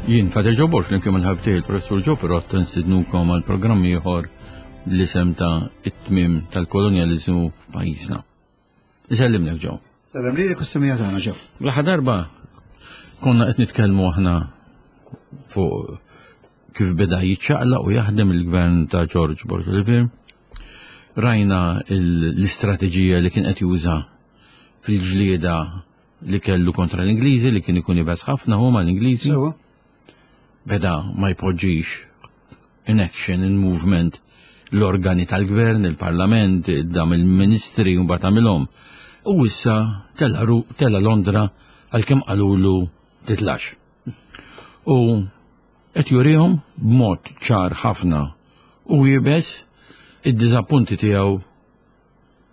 Jien Fader Joe Borg flimkien mal-ħabib tiegħi il-Professur Joe Pirott nstidnukom għal programm ieħor l-isem ta' it-tmiem tal-kolonjaliżmu f'pajjiżna. Isellimlek Joe. Sellem lilek u s-semija tagħna Joe. L-aħħar darba konna qed nitkellmu aħna fuq kif beda jiċċaqlaq u jaħdem il-gvern ta' George Borg Olivier. Rajna l-istrateġija li kien qed juża fil-ġlieda li kellu kontra l-Ingliżi li kien ikun ibes ħafna huma l-Ingliżi. Beda ma jpoġġix in action, in movement l-organi tal-gvern, il-parlament, dam il-ministri u mbagħad għamilhom. U issa tela Londra għalkemm qalulu titlax. U qed jurihom b'mod ċar ħafna u jibes id-diżappunti tiegħu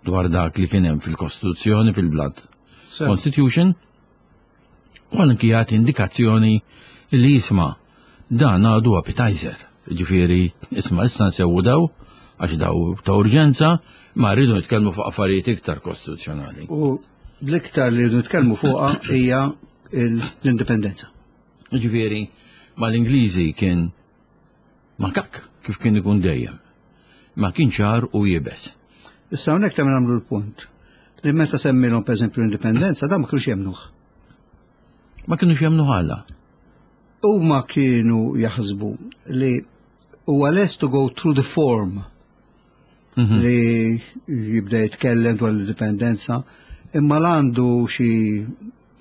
dwar dak li kien hemm fil-Kostituzzjoni fil-Blood Constitution u anki jagħti indikazzjoni li jisma' dan għadu appetizer. Ġifieri isma' issa nsewwu daw għax daw ta' urġenza ma rridu nitkellmu fuq affarijiet iktar kostituzzjonali. U l-iktar li rridu nitkellmu fuqha hija l-indipendenza. Ġifieri mal-Ingliżi kien Makak kif kien ikun dejjem. Ma kien ċar u iebes. Issa hawnhekk ta' nagħmlu l-punt li meta semmilhom pereżempju l-indipendenza dan ma kinux jemmnuh. Ma kinux jemmnuh għala. Huma kienu jaħsbu li huwa lest to go through the form mhm. li jibda jitkellem dwar l-indipendenza imma l-għandu xi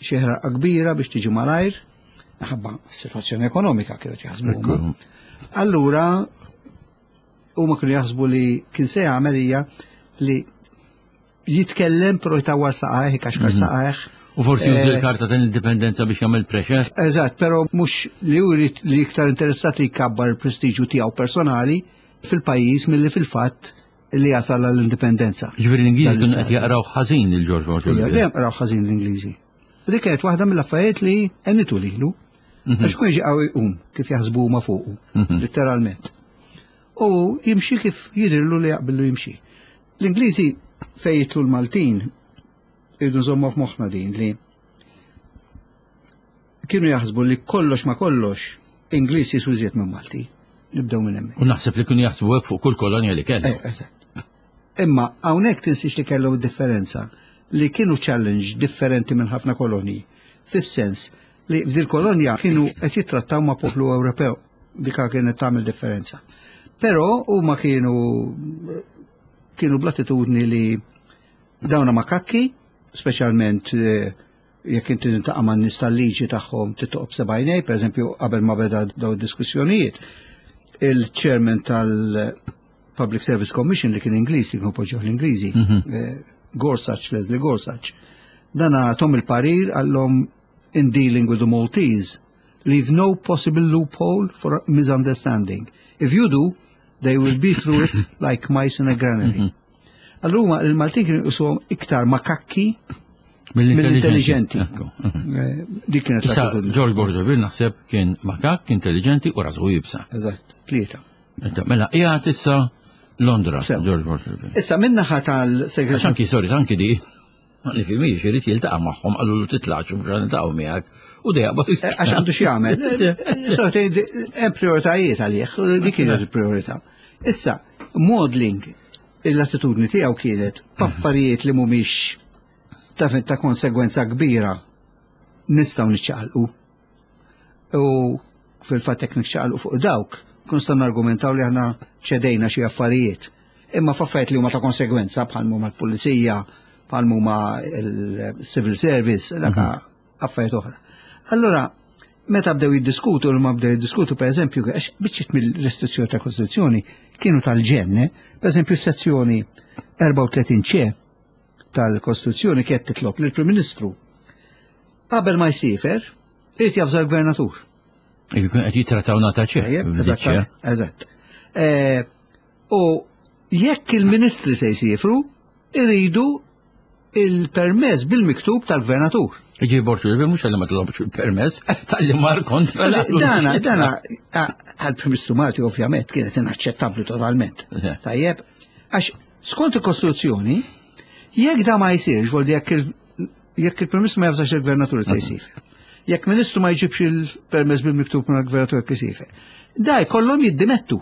xi ħraqqa kbira biex tiġi malajr, ħabba situazzjoni ekonomika kienet jaħsbu. Allura huma kienu jaħsbu li kien se jagħmel hija li jitkellem però jtawwar saqajh, ikaxkar mhm. saqajh. U forsi jużi eh, l-karta tal-indipendenza biex jagħmel pressure. Eżatt, però mhux li jrid li iktar interessat li jkabbar il-prestiġju tiegħu personali fil-pajjiż milli fil-fatt li jasal għall-indipendenza. Ġifieri l-Ingliżi kienu qed jaqraw ħażin il George Washington. Dejjem qraw ħażin l-Ingliżi. U dik kienet waħda mill-affarijiet li għenitu lilu. Mhm. Għax kun jiġi qawwi jqum kif jaħsbu huma fuqu, mhm. letteralment. U jimxi kif jidhirlu li jaqbillu jimxi. L-Ingliżi fejn jitlu l-Maltin irridu nżommu f'moħħna din li kienu jaħsbu li kollox ma kollox Ingliż jiswi iżjed minn Malti. Nibdew minn hemmhekk. U naħseb li kienu jaħsbu hekk fuq kull kolonja li kellu. Eh, eżatt. Imma hawnhekk tinsiex li kellhom differenza li kienu challenge differenti minn ħafna kolonji. Fis-sens li f'dil kolonja kienu qed jittrattaw ma' poplu Ewropew dika kienet tagħmel differenza. Però huma kienu kienu bl-attitudni li dawna ma kakki, speċjalment eh, jekk inti tintaqa' man-nies tal-liġi tagħhom titoqob sebgħinej, pereżempju qabel ma beda daw id-diskussjonijiet, il-chairman tal-Public Service Commission li kien Ingliż li kienu poġġew l-Ingliżi, mhm. eh, Gorsuch, Leslie Gorsuch, dan għatom il-parir għallhom in dealing with the Maltese, leave no possible loophole for misunderstanding. If you do, they will be through it like mice in a granary. Mm -hmm. Allura il-Maltin kienu jqisuhom iktar makakki mill-intelligenti. Eh, dik kienet l George Bordovil naħseb kien makak, intelligenti u rasu jibsa. Eżatt, tlieta. Mela, qiegħed issa Londra, George Bordovil. Issa minnaħa tal-segretarju. Anki, sorry, anki di. Ma nifhimix, irid jiltaqa' magħhom qalulu titlax u mhux niltaqgħu miegħek u dejja eh, Għax għandu x'jagħmel. Eh, hemm prioritajiet għalih, dik kienet il-priorità. Issa, modeling l-attitudni tiegħu kienet f'affarijiet li mhumiex ta' ta' konsegwenza kbira nistgħu niċċaqalqu. U fil-fatt jekk niċċaqalqu fuq dawk, kun nistgħu nargumentaw li aħna ċedejna xi affarijiet. Imma f'affarijiet li huma ta' konsegwenza bħal huma l-pulizija, bħal huma l-civil service, dak mhm. affarijiet oħra. Allura, meta bdew jiddiskutu, l ma bdew jiddiskutu, per eżempju, għax biċċiet mill-restrizzjoni ta' Kostituzzjoni kienu tal-ġenne, per eżempju, sezzjoni 34 ċe tal-Kostituzzjoni kienet titlob lill-Prim Ministru qabel ma jsifer, irid javża l-Gvernatur. Jkun qed jittrattaw nata ċe. Eżatt, eżatt. Eh, u jekk il-ministri se jsifru, iridu il-permess bil-miktub tal-gvernatur. Ġi borċu, mux għalli ma tlobx il-permess, tal-li mar kontra. Dana, dana, għal-Prim Ministru Malti ovvjament kienet inaċċettabbli totalment. Tajjeb, għax skont il-Kostituzzjoni, jekk da ma jsirx, voldi jekk il-Prim Ministru ma jafżax il-Gvernatur se jsir. Jekk ministru ma jġibx il-permess bil-miktub minn gvernatur kisife. Da jkollhom jiddimettu.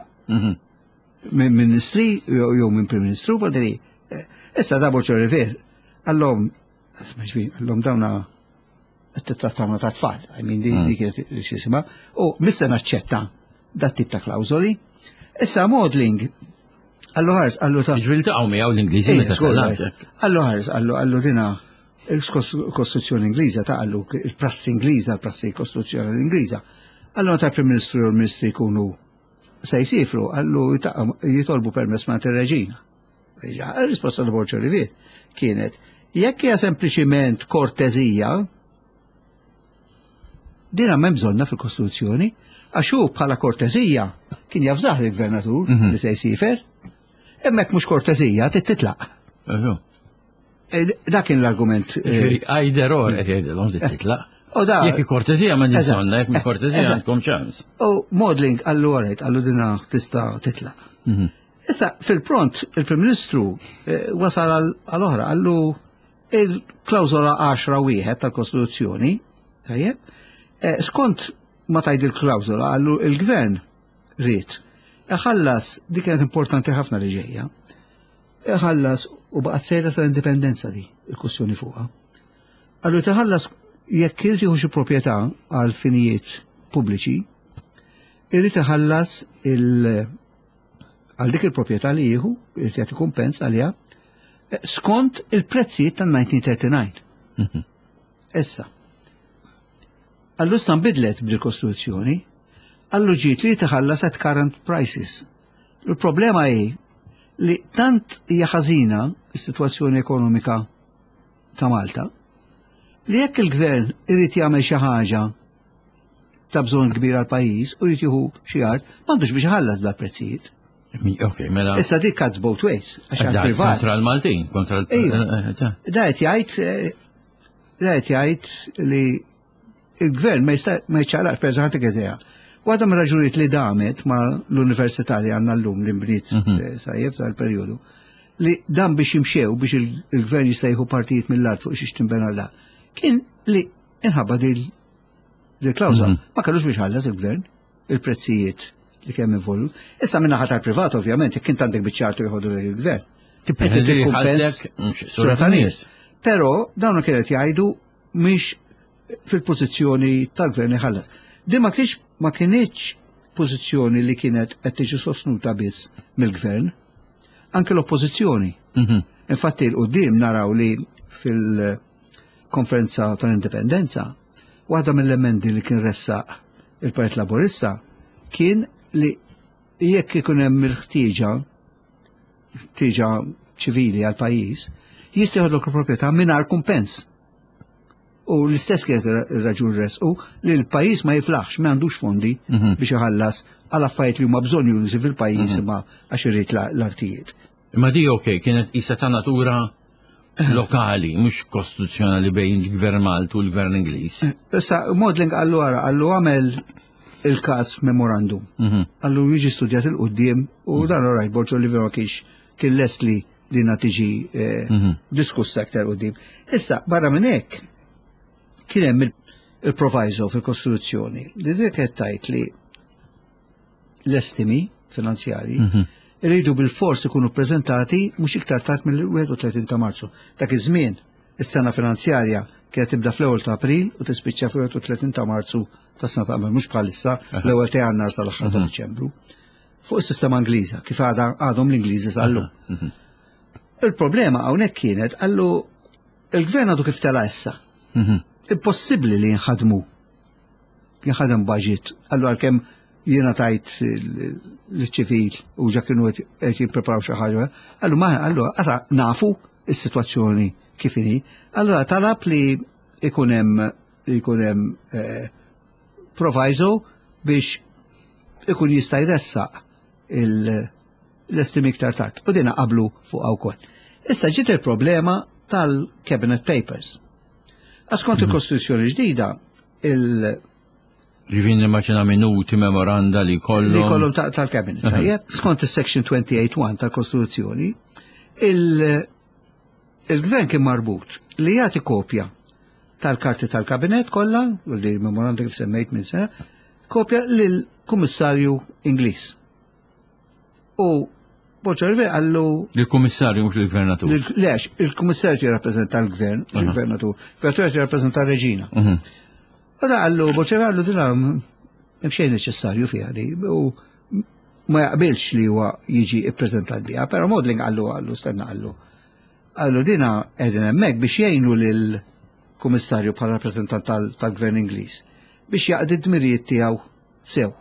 Minn ministri jew minn prim ministru, vodri. Eh, issa da Borġ Olivier, għallhom, għallhom dawna qed titrattawna ta' tfal, I mean di mm. kienet xisima, u missa naċċetta dat tip ta' klawżoli. Issa modeling, għallu ħars, għallu ta' Ġvil ta' miegħu l-Ingliżi meta Għallu ħars, għallu għallu dina il-Kostituzzjoni Ingliża ta' għallu il-prassi Ingliża, il-prassi Kostituzzjoni Ingliża. Għallu ta' Prim Ministru u l-Ministri jkunu se jsifru, għallu jitolbu permess ma' reġina Il-risposta ta' Borġ Olivier kienet, jekk hija sempliċiment kortezija, dina m'hemm bżonna fil-Kostituzzjoni, għax hu bħala kortezija kien jafżaħ il-gvernatur mhm. li se jsifer, hemmhekk mhux kortezija titlaq. Eh, dak kien l-argument. Eh, either or qed jgħidilhom li titlaq. U da. Jekk kortezija ma bżonna, jekk kortezija għandkom ċans. U modeling għallu għarajt, għallu dina tista' titlaq. Mhm. Issa, fil-pront, il-Prim Ministru eh, wasal għal-oħra, għallu il-klawzola 10 wieħed tal-Kostituzzjoni, tajjeb, eh, skont ma tajd il-klawzola, għallu il-Gvern ried iħallas, dik kienet importanti ħafna li ġejja, iħallas u baqgħet sejra tal-indipendenza di, il-kwestjoni fuqha. Għallu tħallas jekk irid jieħu xi proprjetà għal finijiet pubbliċi, irid iħallas il- għal dik il-proprjetà li jieħu, irid jagħti kumpens għaliha, eh, skont il-prezzijiet tan-1939. Mhm. Issa, għallu issa nbidlet bil-Kostituzzjoni, għallu ġiet li tħallas at current prices. Il-problema hi li tant hija ħażina s-sitwazzjoni ekonomika ta' Malta li jekk il-gvern irid jagħmel xi ħaġa ta' bżonn kbir għal pajjiż u jrid jieħu xi art, m'għandux biex iħallas bla prezzijiet. Ok, mela. Issa dik cuts both ways, għax għal privat. Kontra l-Maltin, kontra l eh, eh, Da qed jgħid eh, da qed jgħid li il-gvern ma jista' ma jċaqlaqx per eżempju idea. Waħda mir-raġunijiet li damet ma l-università li għandna llum li nbniet mhm. sajjef tal-perjodu li dan biex jimxew biex il-gvern jista' jieħu partijiet mill-art fuq xiex tinbena da kien li inħabba dil il-klawżola. Mhm. Ma kellux biex ħallas il-gvern il-prezzijiet li kemm involut. Issa minna ħatar privat ovvjament, jekk int għandek biċċartu jħodu l-gvern. Sura ta' nies. Però dawn kienet jgħidu mhix fil-pożizzjoni tal-gvern iħallas. Di ma kienx ma kienx pożizzjoni li kienet qed tiġi sostnuta biss mill-gvern, anke l-oppożizzjoni. Mhm. Infatti l-qudiem naraw li fil- konferenza tal-indipendenza, waħda mill-emendi li kien ressaq il-Partit Laburista kien li jekk ikun hemm il-ħtieġa ħtieġa ċivili għal pajjiż, jista' jħodlok il-proprjetà mingħajr kumpens. U l-istess kienet ir-raġun resqu li l-pajjiż ma jiflaħx, ma għandux fondi mhm. biex iħallas għal affarijiet li huma bżonn jużi fil-pajjiż mhm. imma għax irid l-artijiet. Imma di ok, kienet isa ta' natura lokali, mhux kostituzzjonali bejn il-Gvern Malti u l-Gvern Ingliż. Issa, Modling għallu għara, għallu għamel il-kas memorandum. Mhm. Għallu jiġi studjat il-qoddim u mhm. dan rajt Borġo li vera kienx kien lest li li tiġi eh, mhm. diskussa aktar qoddim. Issa, barra minn hekk, kien hemm il-proviso fil-Kostituzzjoni li dik qed tgħid li l-estimi finanzjarji mhm. iridu bil-fors ikunu ppreżentati mhux iktar tard mill-31 ta' Marzu. Dak iż-żmien is-sena finanzjarja kienet tibda fl-ewwel ta' April u tispiċċa fl-31 ta' Marzu tas-sena ta' qabel mhux bħalissa l-ewwel ta' Jannar sal-aħħar ta' mhm. Diċembru. Fuq is-sistema Ingliża, kif għadha għadhom l-Ingliżi sal-lum. Mhm. Il-problema hawnhekk kienet għallu il-gvern għadu kif tela issa. Impossibbli li jinħadmu jinħadem budget. Allura għalkemm jiena tajt l-ċivil u ġa kienu qed jippreparaw xi ħaġa, allura ma allura qasa nafu is-sitwazzjoni kif inhi. Allura talab li ikun hemm ikun hemm eh, proviso biex ikun jista' jressaq l-estimi iktar tard. U dina qablu fuq wkoll. Issa ġiet il-problema tal-cabinet papers. Għax kont mhm. il-Kostituzzjoni ġdida, il- Ġifin nimmaġina minuti, memoranda li kollhom. Li kollhom tal-cabinet. Tajjeb, skont is-section 28.1 tal-Kostituzzjoni, il-gvern kien marbut li jagħti kopja tal-karti tal-kabinet kollha, u li memorandum kif semmejt minn sena, kopja lill-Kummissarju Ingliż. U Borg Olivier qallu Il-Kummissarju mhux il-Gvernatur. Lex, il-Kummissarju jirrappreżenta l-Gvern, mhux il-Gvernatur. Il-Gvernatur jirrappreżenta r-Reġina. U da qallu, Borg Olivier qallu dina hemm xejn neċessarju fiha di. U ma jaqbilx li huwa jiġi ippreżentat biha, però Maudling qallu qallu stenna qallu. Qallu dina qegħdin hemmhekk biex jgħinu lill-Kummissarju bħala rappreżentant tal-Gvern Ingliż biex jaqdi d-dmirijiet tiegħu sew.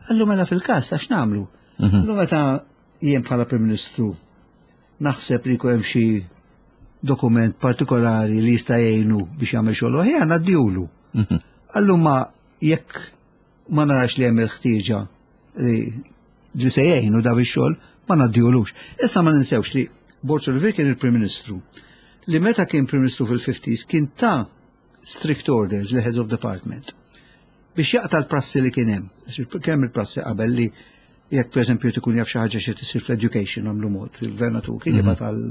Qallu mela fil-każ ta' x'nagħmlu? Qallu meta jien bħala Prim Ministru naħseb li jkun hemm xi dokument partikolari li jista' jgħinu biex jagħmel xogħol aħjar ngħaddihulu. Qallu ma jekk ma narax li hemm il-ħtieġa li se jgħinu daw ix-xogħol ma ngħaddihulux. Issa ma ninsewx li Borg Olivier kien il-Prim Ministru li meta kien Prim Ministru fil-50s kien ta' strict orders li heads of department biex jaqta' l-prassi li kien hemm. Kemm il-prassi qabel li jekk pereżempju tkun jaf xi ħaġa xi tisir fl-education għamlu mod, il-gvernatur kien jibgħat għal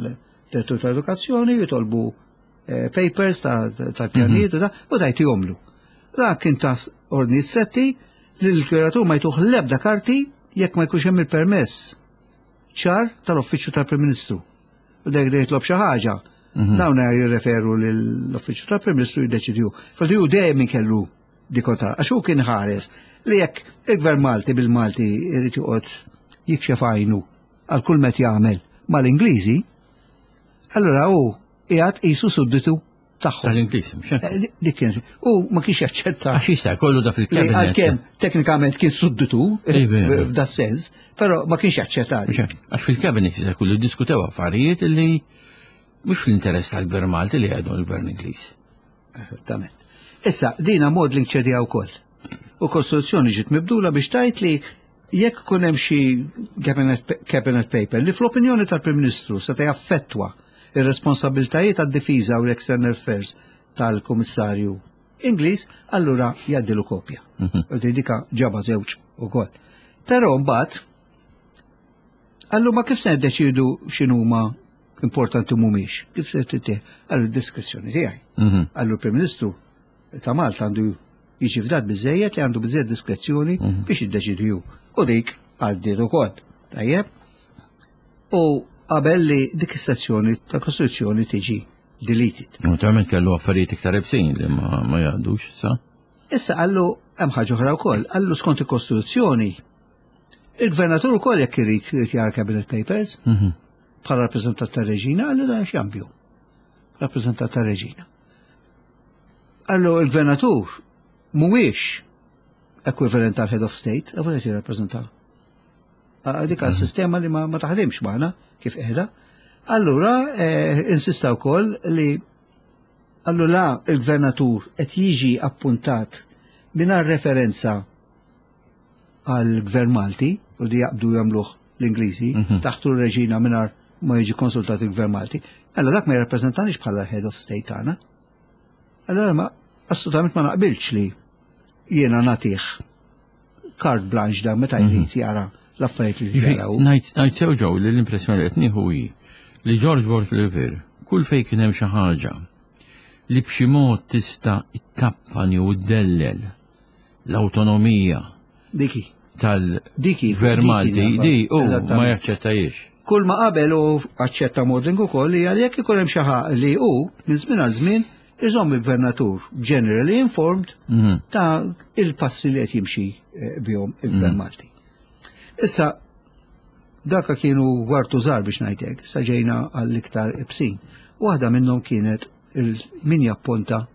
direttur tal-edukazzjoni jitolbu papers tal-pjanijiet u da u dajt jomlu. Da kien ta' ordni stretti li l-gvernatur ma jtuh l-ebda karti jekk ma jkunx hemm il-permess ċar tal-uffiċċju tal-Prim Ministru. U dek jitlob xi ħaġa. Dawn jirreferu l-uffiċċju tal-Prim Ministru jiddeċidju. Fil ju dejjem kellu di kontra, għax hu kien ħares li jekk il-Gvern Malti bil-Malti irid joqgħod jikxef għajnu għal kull met jagħmel mal-Ingliżi, allura hu qiegħed qisu sudditu tagħhom. Tal-Ingliż, mhux hekk? Dik kien. U ma kienx jaċċetta. Għax jista' jkollu da fil-kabinet. Għalkemm teknikament kien sudditu f'da sens, però ma kienx jaċċetta. Mhux hekk? Għax fil-kabinet jista' jkollu diskutew affarijiet li mhux fl-interess tal-Gvern Malti li għadu l-Gvern Ingliż. Esattament. Issa, dina Maudling ċedija wkoll. U kostituzzjoni ġiet mibdula biex tajt li jekk kun hemm xi cabinet paper li fl-opinjoni tal-Prim Ministru seta' jaffettwa ir-responsabiltajiet għad-difiża u l-external affairs tal-Kummissarju Ingliż, allura jgħaddilu kopja. U dika ġaba żewġ ukoll. Però mbagħad allu ma kif se niddeċidu x'inhuma importanti mhumiex, kif se tittieħ? Allu d-diskrezzjoni tiegħi. Allu l-Prim Ministru ta' Malta għandu jiġi fdat biżejjed li għandu biżejjed diskrezzjoni biex jiddeċidi hu. U dik għaddiet ukoll. Tajjeb? U qabel li dik is-sezzjoni ta' Kostituzzjoni tiġi deleted. Naturalment kellu affarijiet iktar ibsin li ma jgħaddux issa. Issa qallu hemm ħaġa oħra wkoll, qallu skont il-Kostituzzjoni il-gvernatur ukoll jekk irid irid jara cabinet papers bħala rappreżentant tar-reġina, qallu da x'jambju. Rappreżentant tar-reġina. Qallu il-gvernatur mhuwiex equivalent tal-head of state, għax qed jirrappreżenta. Dik sistema li ma taħdimx magħna kif qiegħda. Allura insista wkoll li allura la il-gvernatur qed jiġi appuntat mingħajr referenza għal gvern Malti u li jaqbdu jagħmluh l-Ingliżi taħt ir-reġina mingħajr ma jiġi konsultat il-gvern Malti. Allora dak ma jirrappreżentanix bħala head of state tagħna. Allora ma assolutament ma naqbilx li jiena nagħtih carte blanche da meta jrid jara l-affarijiet li jaraw. Ngħid sew ġew li l-impressjoni li qed nieħu hi li George Borg Olivier kull fejn kien hemm xi ħaġa li b'xi mod tista' ittappan jew iddellel l-awtonomija Diki. tal-Gvern Malti, di u ma jaċċettajiex. Kull ma qabel u aċċetta Maudling ukoll li għal jekk ikun hemm xi ħaġa li hu minn żmien għal żmien iżomm il-gvernatur generally informed ta' il-passi li qed jimxi bihom il-Gvern Malti. Issa daka kienu wartu żgħar biex ngħidlek, sa ġejna għall-iktar ibsin. Waħda minnhom kienet min japponta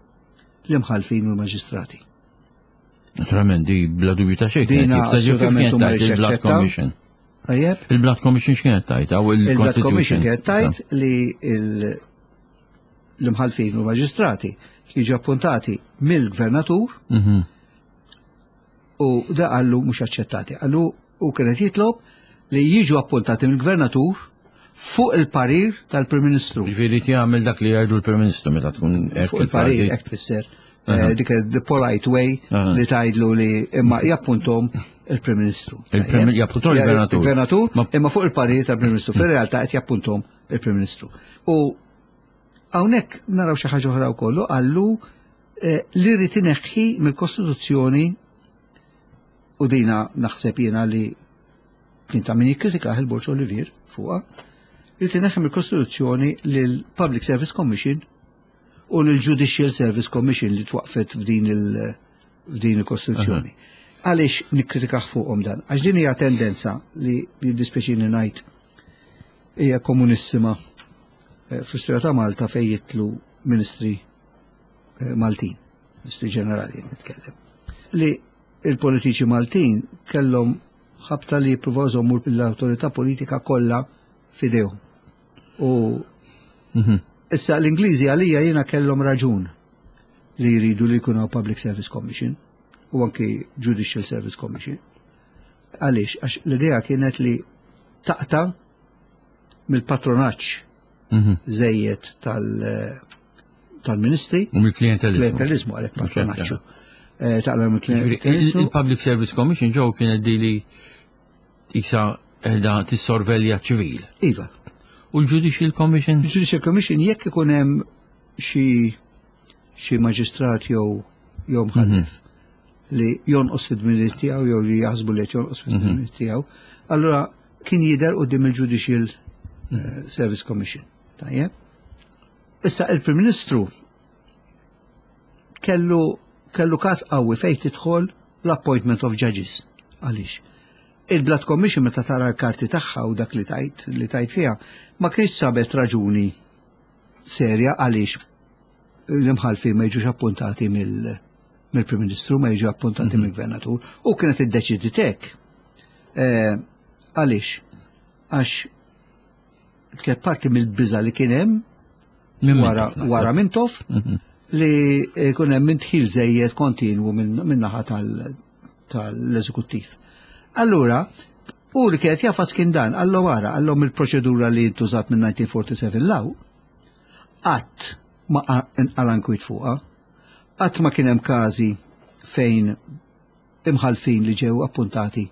l-imħalfin u l-maġistrati. Naturalment, di bla dubju ta' xejn. Dina assolutament kienet tajt il-Blood Commission. Tajjeb? Il-Blood Commission x'kienet tajt? Il-Blood Commission kienet tajt li l-imħalfin u l-maġistrati jiġu appuntati mill-gvernatur u da qallu mhux aċċettati. Qallu u kienet jitlob li jiġu appuntati mill-gvernatur fuq il-parir tal-Prim Ministru. Ġifieri jagħmel dak li jgħidu l-Prim Ministru meta tkun fuq il-parir hekk tfisser. Dik the polite way li tgħidlu li imma jappuntom il-Prim Ministru. Jappuntom il-Gvernatur. Il-Gvernatur imma fuq il-parir tal-Prim Ministru. Fir-realtà qed jappuntom il-Prim Ministru. U Hawnhekk naraw xi ħaġa oħra wkoll qallu eh, li rrid ineħħi mill-Kostituzzjoni u dina naħseb jiena li kien ta' min jikkritika il-Borġ Olivier fuqha, li tineħħi mill-Kostituzzjoni lill-Public Service Commission u lill-Judicial Service Commission li twaqfet f'din il- f'din il-Kostituzzjoni. Għaliex nikkritikah fuqhom dan? Għax din hija tendenza li jiddispjaċini ngħid hija komunissima eh, fl-istorja ta' Malta fejn jitlu ministri eh, Maltin, ministri ġenerali nitkellem. Li il-politiċi Maltin kellhom ħabta li jippruvaw jżommu l-awtorità politika kollha f'idejhom. U mhm. issa l-Ingliżi għalija jiena kellhom raġun li jridu li jkunu Public Service Commission u anki Judicial Service Commission. Għaliex, għax l-idea kienet li taqta mill-patronaġġ mhm. żejjed tal-ministri. U mill-klientelizmu. Klientelizmu għalhekk patronaġġu. Eh, taqla mill-klientelizmu. Il-Public Service Commission ġew kienet dili isa edha tissorvelja ċivil. Iva. U l-Judicial Commission? Il-Judicial Commission jekk ikun hemm xi xi maġistrat jew jew mħallef mhm. li jonqos fid-dmirijiet tiegħu jew li jaħsbu li qed jonqos fid-dmirijiet mhm. tiegħu, allura kien jidher quddiem il-Judicial eh, Service Commission. Tajjeb. Issa il-Prim Ministru kellu kellu każ qawwi fejn tidħol l-appointment of judges. Għaliex? Il-Blood Commission meta tara l-karti tagħha u dak li tajt li tajt fiha ma kienx sabet raġuni serja għaliex l-imħalfin ma jiġux appuntati mill-Prim Ministru, ma jiġu appuntati mhm. mill-Gvernatur, u kienet iddeċidiet hekk. Eh, għaliex? Għax kienet parti mill-biża li kien hemm wara wara Mintoff mhm. li jkun hemm intħil żejjed kontinwu min-naħa tal-eżekuttiv. Allura, u li kienet jafas kien dan, għallu wara, għallhom il-proċedura li ntużat minn 1947 law, qatt ma inqala nkwiet fuqha, qatt ma kien hemm każi fejn imħalfin li ġew appuntati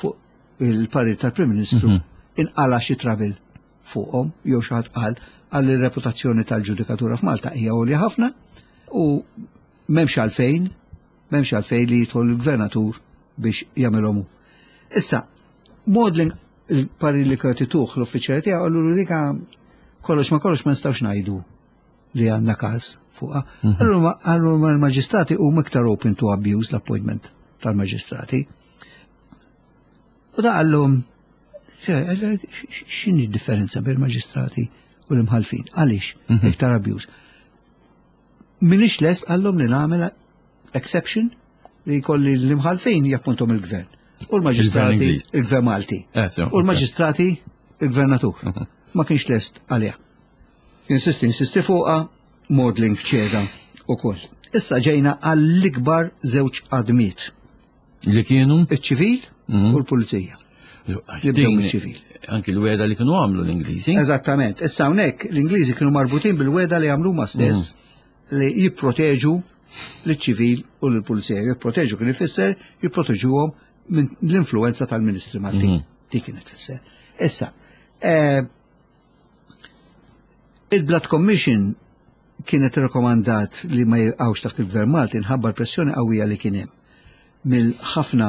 fuq il-parir tal-Prim Ministru mhm. inqala xi trabil fuqhom jew xi ħadd qal għal ir-reputazzjoni tal-ġudikatura f'Malta hija għolja ħafna u m'hemmx għalfejn m'hemmx għalfejn li jidħol il-gvernatur biex jagħmilhom hu. Issa, Maudlin il-parir li kienet ituh l-uffiċjali tiegħu qallu dika kollox ma kollox ma nistgħux ngħidu li għandna każ fuqha. Mhm. Allura l-maġistrati huma iktar open to abuse l-appointment tal-maġistrati. U da qallhom x'inhi d-differenza bejn maġistrati u l-imħalfin? Għaliex mhm. iktar abuse? Minix lest għallhom li nagħmel exception li jkolli l-imħalfin jappuntom il-gvern. U l-maġistrati il-gvern Malti. Eh, u l-maġistrati il-gvernatur. Mhm. Ma kienx lest għaliha. Insisti, insisti fuqa, modeling ċeda u koll. Issa ġejna għall-ikbar żewġ għadmiet. Li kienu? Iċ-ċivil mhm. u l-pulizija. Nibdew mill-ċivil. Anki l-weda li kienu għamlu l-Ingliżi. Eżattament. Issa hawnhekk l-Ingliżi kienu marbutin bil-weda li għamlu ma stess mhm. li jipproteġu l-ċivil u l-pulizija. Jipproteġu kien ifisser jipproteġuhom minn l-influenza tal-Ministri Maltin. Mhm. Dik kienet tfisser. Issa, eh, il-Blood Commission kienet rekomandat li ma jibqgħux taħt il-Gvern Malti nħabba l-pressjoni qawwija li kien hemm mill-ħafna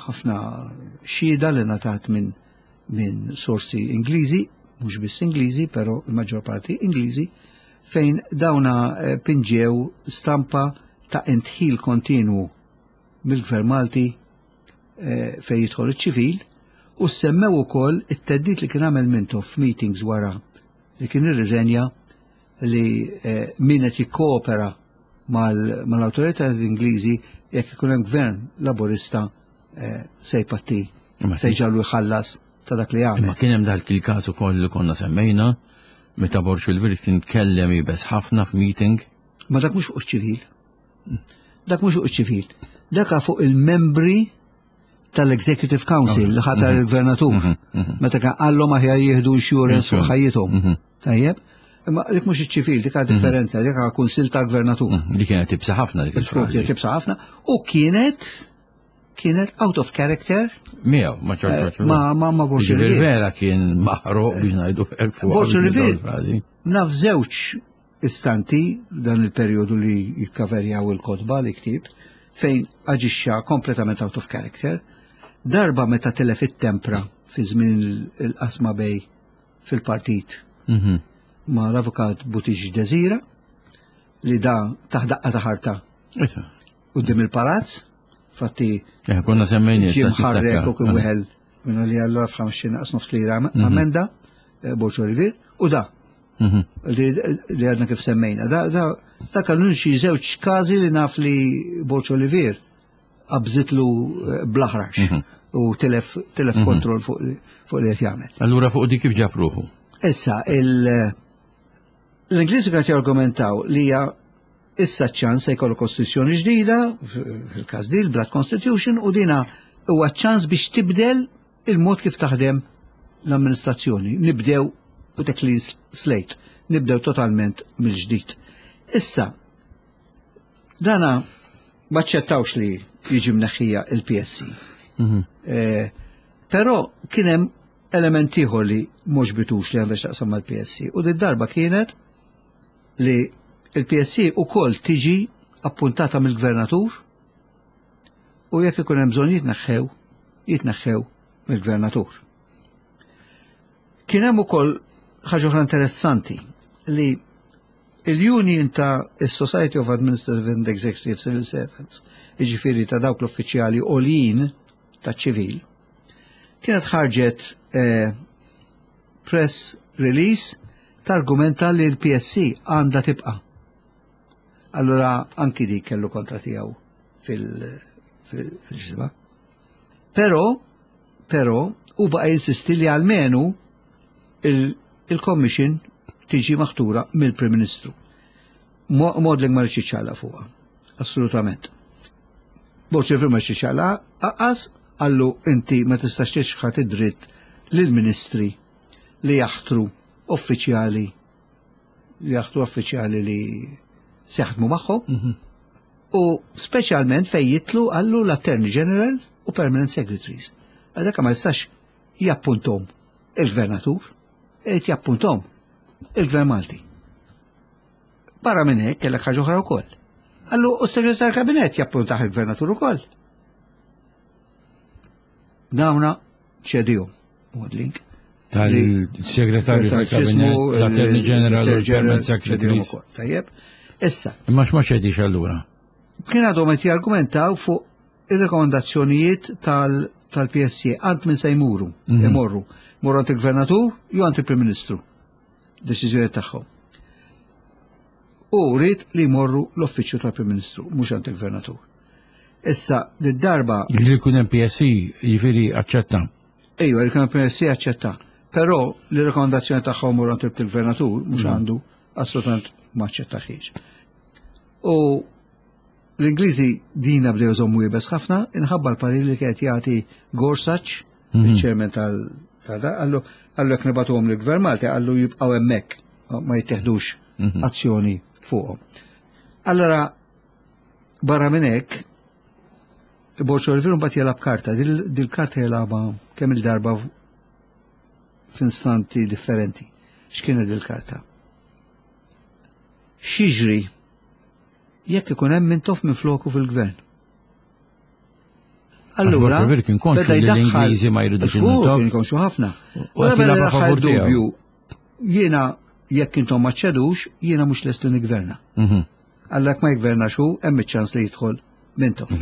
ħafna xhieda li ngħatat minn min sorsi Ingliżi, mhux biss Ingliżi, però l-maġġor parti Ingliżi, fejn dawna eh, pinġew stampa ta' intħil kontinwu mill-Gvern Malti eh, fejn jidħol iċ-ċivil u semmew ukoll it-teddit li kien għamel Mintoff f'meetings wara li kien irriżenja li eh, min qed jikkoopera mal-awtorità Ingliżi jekk ikun hemm gvern laburista eh, se jpatti se jġallu jħallas ta' dak li għamel. Ma kien hemm dak il-każ ukoll li konna semmejna meta Borg il kien tkellem jibes ħafna f'meeting. Ma dak mhux fuq ċivil. Dak mhux fuq ċivil. Dak fuq il-membri tal-Executive Council li ħatar mhm. il-gvernatur. Mhm, mhm. Meta kien qallhom aħjar jieħdu insurance fuq ħajjithom. Tajjeb? Imma dik mhux iċ-ċivil, dik differenti, dik kunsil tal-gvernatur. Dik kienet tibsa ħafna dik. Kienet tibsa ħafna u kienet kienet out of character. Miegħu, ma ċorċ. Eh, ma ma ma Borġ Vera kien maħruq biex ngħidu Borġ Rivier. Naf żewġ. istanti dan il-perjodu li jikkaverjaw il-kotba li ktib fejn aġixxa kompletament out of character. Darba meta telef it-tempra fi żmien il-qasma bej fil-partit ma l-avukat Buttigieg Desira li da taħdaqqa ta' ħarta quddiem il-palazz, fatti eh, konna semmejni ġie mħarrek u kien wieħel minnu li allura f'ħamxin naqs nofs lira ammenda eh, Borġ Olivier u da li għadna kif semmejna. Da, da, da kellu xi żewġ każi li naf li Borġ Olivier qabżitlu eh, blaħrax u telef, telef kontroll fuq fuq li qed jagħmel. Allura fuq dik kif ġab ruħu? Issa, il- l-Ingliżi qed jargumentaw li hija issa ċans se jkollu kostituzzjoni ġdida, fil-każ di l-Blood Constitution, u dina huwa ċans biex tibdel il-mod kif taħdem l-amministrazzjoni. Nibdew u the clean slate, nibdew totalment mill-ġdid. Issa, dana maċċettawx li jiġi mneħħija il-PSC. Eh, Però kien hemm element ieħor li mhux bitux li għandha x'taqsam mal-PSC u din darba kienet li il-PSC ukoll tiġi appuntata mill-gvernatur u jekk ikun hemm bżonn jitneħħew, jitneħħew mill-gvernatur. Kien hemm ukoll ħaġa oħra interessanti li il-Union ta' Society of Administrative and Executive Civil Servants, jiġifieri ta' dawk l-uffiċjali għoljin ta' ċivil, kienet ħarġet eh, press release targumenta li l-PSC għandha tibqa'. Allura anki dik kellu kontra tiegħu fil-ġisma. Però, però, u baqa jinsisti li almenu il-commission tiġi maħtura mill-Prim Ministru. Maudling ma rridx ċala fuqha, assolutament. Borġ ma rridx ċala, aqas għallu inti ma tistax tiċħat id-dritt lill-ministri li jaħtru uffiċjali li jaħtru uffiċjali li se jaħdmu magħhom. U speċjalment fejn jitlu għallu l-Attorney General u Permanent Secretaries. Għadaka ma jistax jappuntom il-gvernatur, irid jappuntom il-Gvern Malti. Barra minn hekk kellek ħaġa oħra wkoll. Allu u s-segretar kabinet jappuntaħ il-gvernatur ukoll. Dawna ċedihom, Maudling. Tal-segretarju tal-kabinet, l-Attorney General, l-Permanent Secretary. Tajjeb. Issa, Imma x'ma ċedix allura? kien għadhom qed jargumentaw fuq ir-rekomendazzjonijiet tal-PSC għand minn se jmuru, imorru. Morru għand il-Gvernatur jew għand il-Prim Ministru. Deċiżjoni tagħhom. U rrid li jmorru l-uffiċċju tal-Prim Ministru, mhux għand il-Gvernatur. Issa, d-darba Li jkun hemm PSC jiġifieri aċċetta. Ejwa, il PSC aċċetta. Però li rekomendazzjoni tagħhom morru għand il-Gvernatur mhux għandu assolutament ma aċċettaħiex. U l-Ingliżi dina bdew jżommu iebes ħafna, inħabba l-parir li kienet jagħti Gorsuch, il-chairman tal tal- għallu għallu jekk nibagħtuhom lill-Gvern Malti għallu jibqgħu hemmhekk ma jittieħdux azzjoni fuqhom. Allora barra minn hekk Borġ Olivier mbagħad jilgħab karta, dil-karta jilgħabha kemm il-darba f'instanti differenti. X'kienet dil-karta? X'jiġri jekk ikun hemm Mintoff minn floku fil-gvern? Allura, Borġ Olivier kien konxu beda li jdaħħal- l-Ingliżi ma jridux Żgur, il-Mintoff. Kien konxu ħafna. U qed Beda jilgħabha jdaħħal favur tiegħu. dubju, Jiena jekk intom ma ċedux, jiena mhux lest li nigverna. Għallak ma jgverna xu, hemm iċ-ċans li jidħol Mintoff.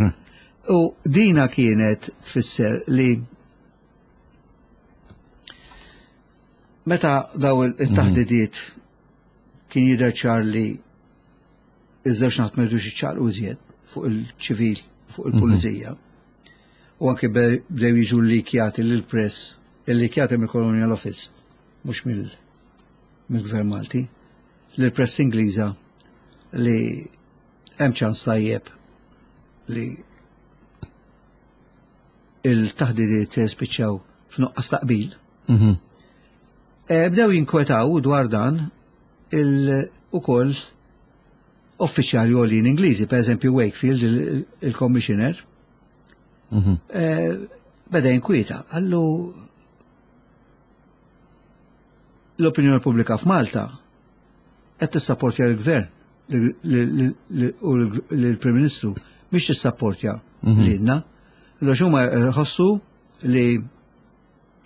U dina kienet tfisser li meta daw il-taħdidiet kien jidher ċar li iż-żewġ naħat ma jridux iċċaqlqu iżjed fuq il-ċivil, fuq il-pulizija. U anke bdew jiġu likjati lill-press, il-likjati mill-Colonial Office, mhux mill-Gvern Malti, lill-press Ingliża li hemm ċans tajjeb li il-taħdidiet spiċċaw f'nuqqas taqbil. Bdew jinkwetaw dwar dan il-ukoll uffiċjali għolin Ingliżi, per eżempju Wakefield, il-commissioner, beda jinkwieta, għallu l-opinjoni pubblika f'Malta qed tissapportja l-gvern u l-Prim Ministru biex tissapportja mhm. lilna. Għax huma ħossu li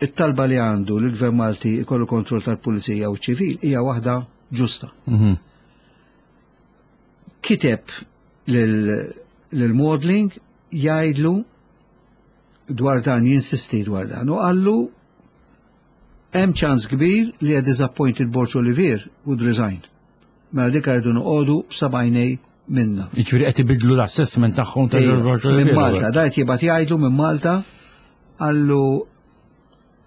it-talba li għandu li l-Gvern Malti jkollu kontroll tal-Pulizija u ċivil hija waħda ġusta. Mhm. Kiteb lil Maudling jgħidlu dwar dan, jinsisti dwar dan, u qallu hemm ċans kbir li a disappointed Borg Olivier would resign. Mela dik rridu noqogħdu b'sabajnej minna. Jiġifieri qed ibidlu l-assessment tagħhom ta' Borg Olivier. Minn Malta, da qed jibgħat jgħidlu minn Malta qallu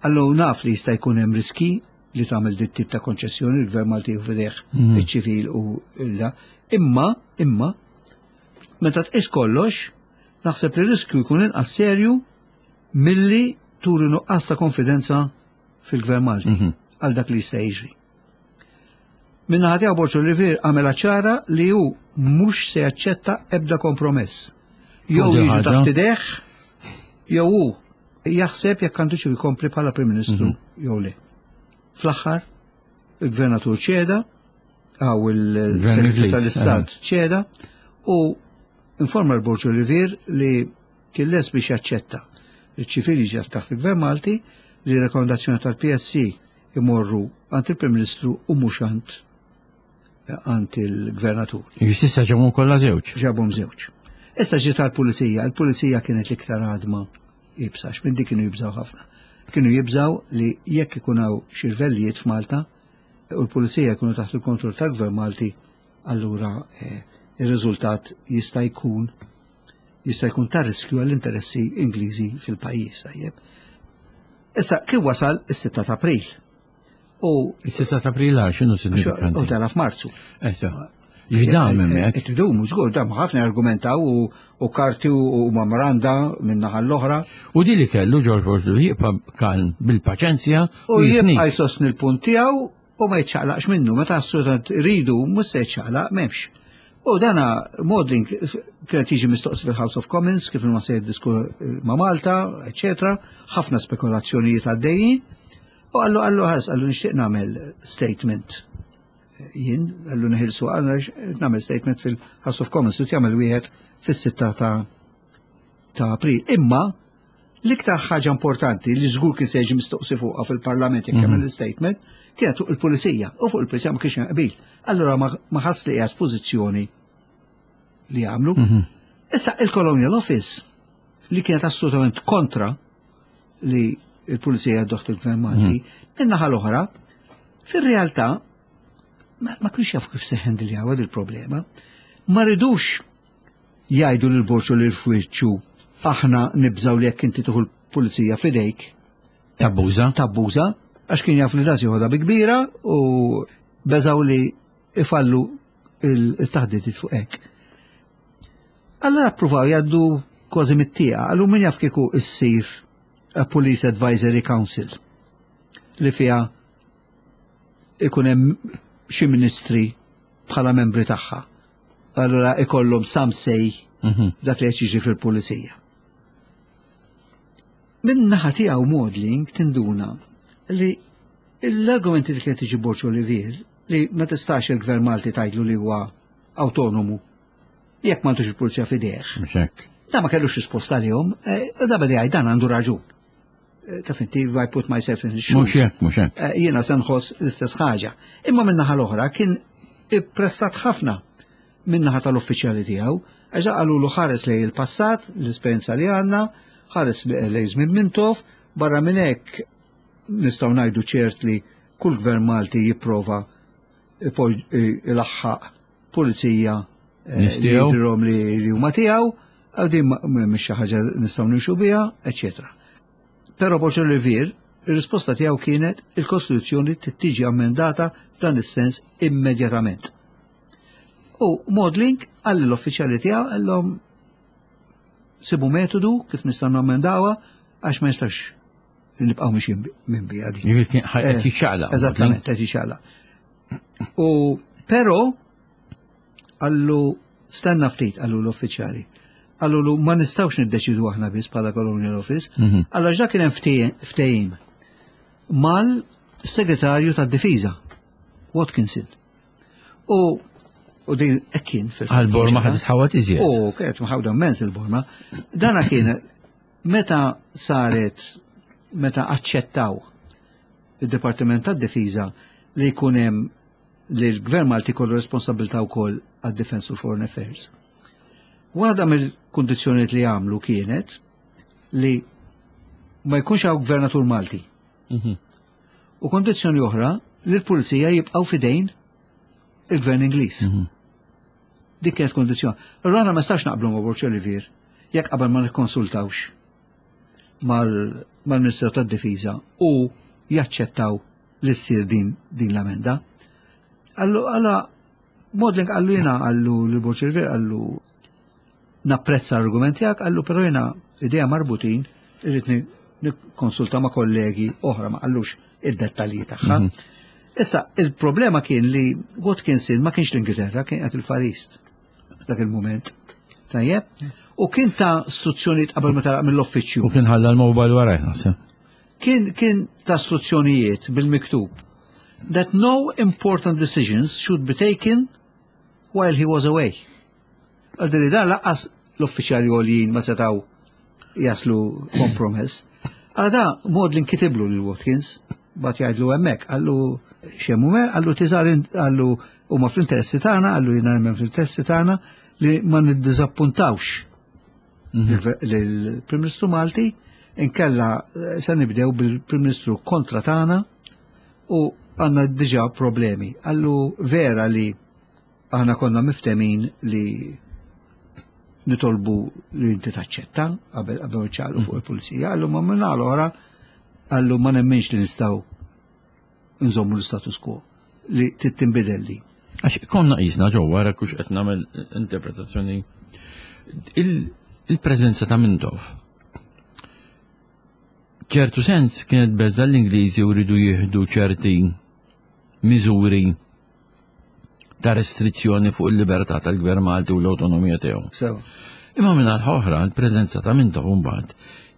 qallu naf li jista' jkun hemm riski li tagħmel dit tip ta' konċessjoni l-Gvern Malti u fideh mhm. iċ-ċivil u illa. Imma, imma, meta tqis kollox, naħseb li riskju jkun inqas serju milli turi nuqqas ta' konfidenza fil-Gvern Malti mhm. għal dak li jista' jiġri. Minna tiegħu Borġ Olivier għamela ċara li hu mhux se jaċċetta ebda kompromess. Jew jiġu taħt ideh, jew hu jaħseb jekk għandu xi jkompli bħala Prim Ministru mhm. jew le. Fl-aħħar, il-Gvernatur ċeda, għaw il-Segretarju tal-Istat eh. ċeda, u informa l-Borġ Olivier li kien lest biex jaċċetta li ċ-ċivil jiġi taħt il-Gvern Malti li rekomendazzjoni tal-PSC imorru għand il-Prim Ministru u mhux għand għand il-Gvernatur. S'issa ġabhom kollha żewġ. Ġabhom żewġ. Issa ġiet tal-pulizija, il-pulizija kienet l-iktar għadma ibsa, minn dik kienu jibżaw ħafna. Kienu jibżaw li jekk ikun hawn xi rvellijiet f'Malta u l-pulizija jkunu taħt il-kontroll tal-Gvern Malti, allura eh, ir-riżultat jista' jkun jista' jkun ta' riskju għall-interessi Ingliżi fil-pajjiż, tajjeb. Issa kif wasal is-6 ta' April. U is-6 ta' April għal x'inhu sinifikanti? U tara f'Marzu. Issa. Jidam hemmhekk. Qed idumu żgur dam ħafna argumentaw u karti u memoranda minn naħa l-oħra. U di li kellu George Bush jibqa' kalm bil-paċenzja u jibqa' jsostni l-punt tiegħu u ma jiċċaqlaqx minnu, meta assolutament iridu mhux se jiċċaqlaq m'hemmx. U dana Maudling kienet jiġi mistoqsi fil-House of Commons kif ma se jiddisku ma' Malta, eċetera, ħafna spekulazzjonijiet għaddejjin. U għallu għallu ħas, għallu nixtieq nagħmel statement. Jien għallu neħilsu għallu nagħmel statement fil-House of Commons u jagħmel wieħed fis-sitta ta' ta' April. Imma L-iktar ħaġa importanti li żgur kien se jiġi mistoqsi fuqha fil-Parlament jekk jagħmel mhm. statement kienet fuq il-pulizija u fuq il-pulizija ma kienx qbil. Allura ma ħass li qiegħed pożizzjoni li jagħmlu. Mhm. Issa il-Colonial Office li kienet assolutament kontra li il-pulizija doħt il-gvern Malti, mhm. min-naħa l-oħra, fir-realtà ma kienx jafu kif se hendiljaw il-problema. Ma ridux Jgħidu lil Borg u lil Fwiċċu aħna nibżgħu li jekk inti tieħu l-pulizija f'idejk. Tabbuża. Tabbuża, għax kien jaf li das joħodha bi kbira u beżgħu li ifallu il-taħdidiet fuq hekk. Allora appruvaw jgħaddu kważi mit-tieqa, għallu min jaf kieku issir a Police Advisory Council li fiha ikun hemm xi ministri bħala membri tagħha. Allura ikollhom some say mhm. dak li qed jiġri fil-pulizija. Min naħa tiegħu Maudling tinduna li l-argumenti li kienet tiġi Borġ Olivier li ma tistax il-gvern Malti tgħidlu li huwa autonomu jekk m'għandux il-pulizija f'idejh. Da ma kellux risposta għalihom, eh, da beda jgħid dan għandu raġun. Eh, taf inti, if I put myself in the shoes. Mhux hekk, mhux hekk. Eh, jiena se nħoss l-istess ħaġa. Imma min-naħa l-oħra kien ippressat ħafna min-naħa tal-uffiċjali tiegħu, għax qalulu ħares lej il-passat, l-esperjenza li għandna, ħares lej żmien Mintoff, barra minn hekk nistgħu ngħidu ċert li kull gvern Malti jipprova ilaħħaq pulizija eh, li jidhirhom li huma tiegħu, għal din mhix xi ħaġa nistgħu nimxu biha, eċetera. Però Boċo Rivier, ir-risposta tiegħu kienet il-Kostituzzjoni tiġi ammendata f'dan is-sens immedjatament. U Maudling għalli l-uffiċjali tiegħu għallhom sibu metodu kif nistgħu nammendawha għax ma jistax nibqgħu mixin minn bija di. Qed jiċċaqlaq. Eżattament, qed jiċċaqlaq. U però għallu stenna ftit għallu l-uffiċjali. Għallu lu ma nistawx niddeċidu aħna biss bħala Colonial Office. Mhm. Allora ġa kien hemm ftehim mal-segretarju tad-difiża, Watkinson. U u din hekk kien fil Għal-Borma ħad tħawat iżjed. U kienet mħawda immens il-Borma. Dana kien meta saret meta aċċettaw id-Dipartiment tad-Difiża li jkun hemm li l-Gvern Malti kollu responsabilità wkoll għad-Defense u Foreign Affairs. Waħda mill-kundizzjonijiet li għamlu kienet li ma jkunx hawn gvernatur Malti. U kondizzjoni oħra li l-pulizija jibqgħu fidejn il-gvern Ingliż. Dik kienet kondizzjoni. Allura aħna ma nistax naqblu ma' Borg Olivier jekk qabel ma nikkonsultawx mal-Ministru tad-Difiża u jaċċettaw li ssir din, din l-amenda. Allu għala Modling qallu jiena qallu li Borg Olivier qallu napprezza l-argument tiegħek, qallu però jiena idea marbutin irrid nikkonsulta ma' kollegi oħra ma qallux id-dettalji tagħha. Issa, il-problema kien li Watkinson ma kienx l-Ingilterra, kien qed il-Far East dak il-moment. Tajjeb? U kien ta' istruzzjonijiet qabel ma telaq mill-uffiċċju. U kien ħalla l-mobile warajh naħseb. Kien kien ta' istruzzjonijiet bil-miktub that no important decisions should be taken while he was away. Għal dan lanqas l-uffiċjali għoljin ma setaw jaslu kompromess. Għada Maudlin kitiblu lil Watkins, bat jgħidlu hemmhekk, qallu xemmu me, qallu tiżar qallu huma fl-interessi tagħna, qallu jiena nemmen fl-interessi tagħna li ma niddiżappuntawx lill-Prim Ministru Malti, inkella eh, se nibdew bil-Prim Ministru kontra tagħna u għandna diġà problemi. Qallu vera li aħna konna miftemin li nitolbu li inti taċċetta qabel qabel ċaqlu fuq il-pulizija, qallu ma minna l-oħra qallu ma nemminx li nistgħu nżommu l-status quo li tittinbidel li. Għax konna qisna ġewwa wara kux qed nagħmel interpretazzjoni il-preżenza ta' Mintoff. ċertu sens kienet beża l-Ingliżi u rridu jieħdu ċerti miżuri ta' restrizzjoni fuq il-libertà tal-Gvern Malti u l-awtonomija tiegħu. Sew. Imma minn oħra l-preżenza ta' Mintoff mbagħad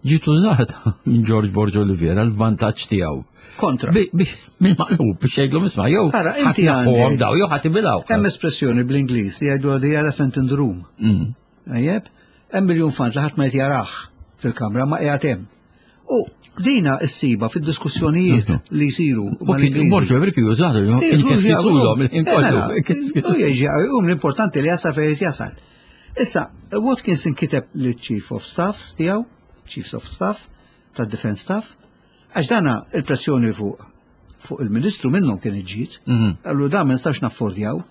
ġiet użata minn George Borg Olivier għal vantaġġ tiegħu. Kontra. Bil-maqlub biex jgħidlu isma' jew Ara, inti ħadd naħħuhom għandek- daw jew ħadd ibilgħu. Hemm espressjoni bl-Ingliż li jgħidu the elephant in the room. Tajjeb, hemm iljunfant li ħadd ma qed jarah fil-kamra ma qiegħed hemm. U dina issiba fid-diskussjonijiet li jsiru U kien mal-Ingliżi. Borg Olivier kien jużatu, inkeskizulhom il-ħin kollu. U jieġi, u l-importanti li jasal fejn irid jasal. Issa, Watkins inkiteb li Chief of Staff tiegħu, Chiefs of Staff, tad-Defense Staff, għax dana il-pressjoni fuq fuq il-Ministru minnhom kien iġġiet, qallu dan ma nistax naffordjaw,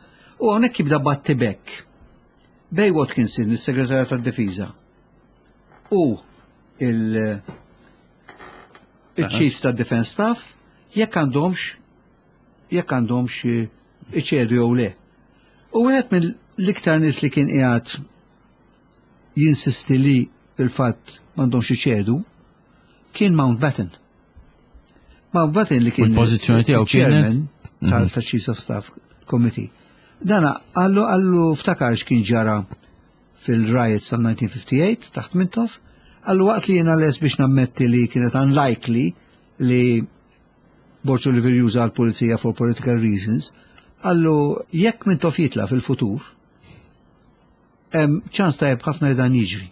u hawnhekk jibda battibek bej Watkinson, il-Segretarju tad-Difiża, u il- il-Chiefs tad-Defense Staff, jekk għandhomx jekk għandhomx iċedu jew le. U wieħed mill-iktar nies li kien qiegħed jinsisti li il-fatt m'għandhomx iċedu kien Mountbatten. Mountbatten li kien U l-pożizzjoni tiegħu chairman tal ta' Chiefs of Staff Committee. Dana qallu qallu ftakar x'kien ġara fil-riots tal-1958 taħt Mintoff, qallu waqt li jiena les biex nammetti li kienet unlikely li Borg Olivier juża l-pulizija for political reasons, qallu jekk Mintoff jitla fil-futur, hemm ċans tajjeb ħafna li dan jiġri.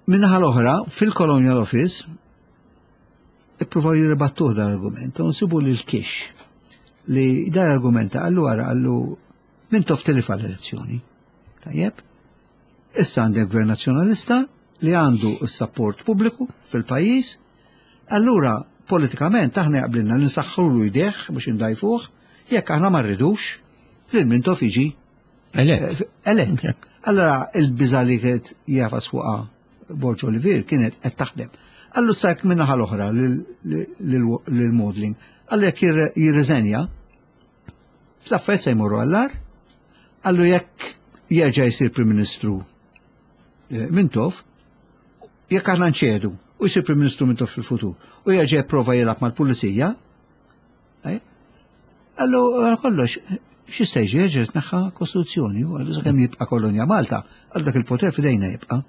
Minnaħa l-oħra, fil-Colonial Office, ippruvaw jirribattuh dan l-argument, u nsibu lil Kish li dan l-argumenta qallu għara qallu Mintoff tilef l-elezzjoni. Tajjeb? Issa għandek gvern nazzjonalista li għandu s-support pubbliku fil-pajjiż, allura politikament aħna jaqblilna li nsaħħulu jdejh biex indajfuh, jekk aħna ma rridux li l-Mintoff jiġi Elett. elett. Jekk. Allora il-biża li kienet jafas fuqha Borg Olivier kienet qed taħdem. Allu sajk minnaħa l-oħra lil Maudling. Qallu jekk jirriżenja, l-affarijiet se jmorru għall-agħar, qallu jekk jerġa' jsir Prim Ministru eh, Mintoff, jekk aħna nċedu u jsir Prim Ministru Mintoff fil-futur u jerġa' jipprova jilgħab mal-pulizija, eh, qallu għal kollox, x'jista' jiġi jerġa' tneħħa Kostituzzjoni u qallu sakemm jibqa' kolonja Malta, għal dak il-poter f'idejna jibqa'.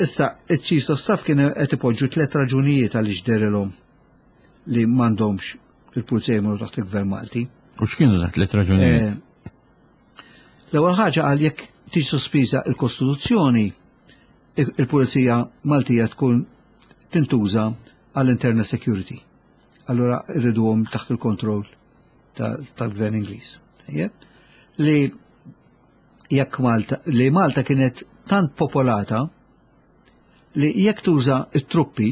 Issa, il-Chiefs of Staff kienu qed ipoġġu tliet raġunijiet għaliex derilhom li m'għandhomx il-pulizija jmorru taħt il-Gvern Malti. U x'kienu dak tliet raġunijiet? Eh, l-ewwel ħaġa qal jekk tiġi sospiża l-Kostituzzjoni, il-Pulizija Maltija tkun tintuża għall-internal security. Allura rriduhom taħt il-kontroll tal-gvern Ingliż. Li jekk Malta, li Malta kienet tant popolata li jekk tuża t-truppi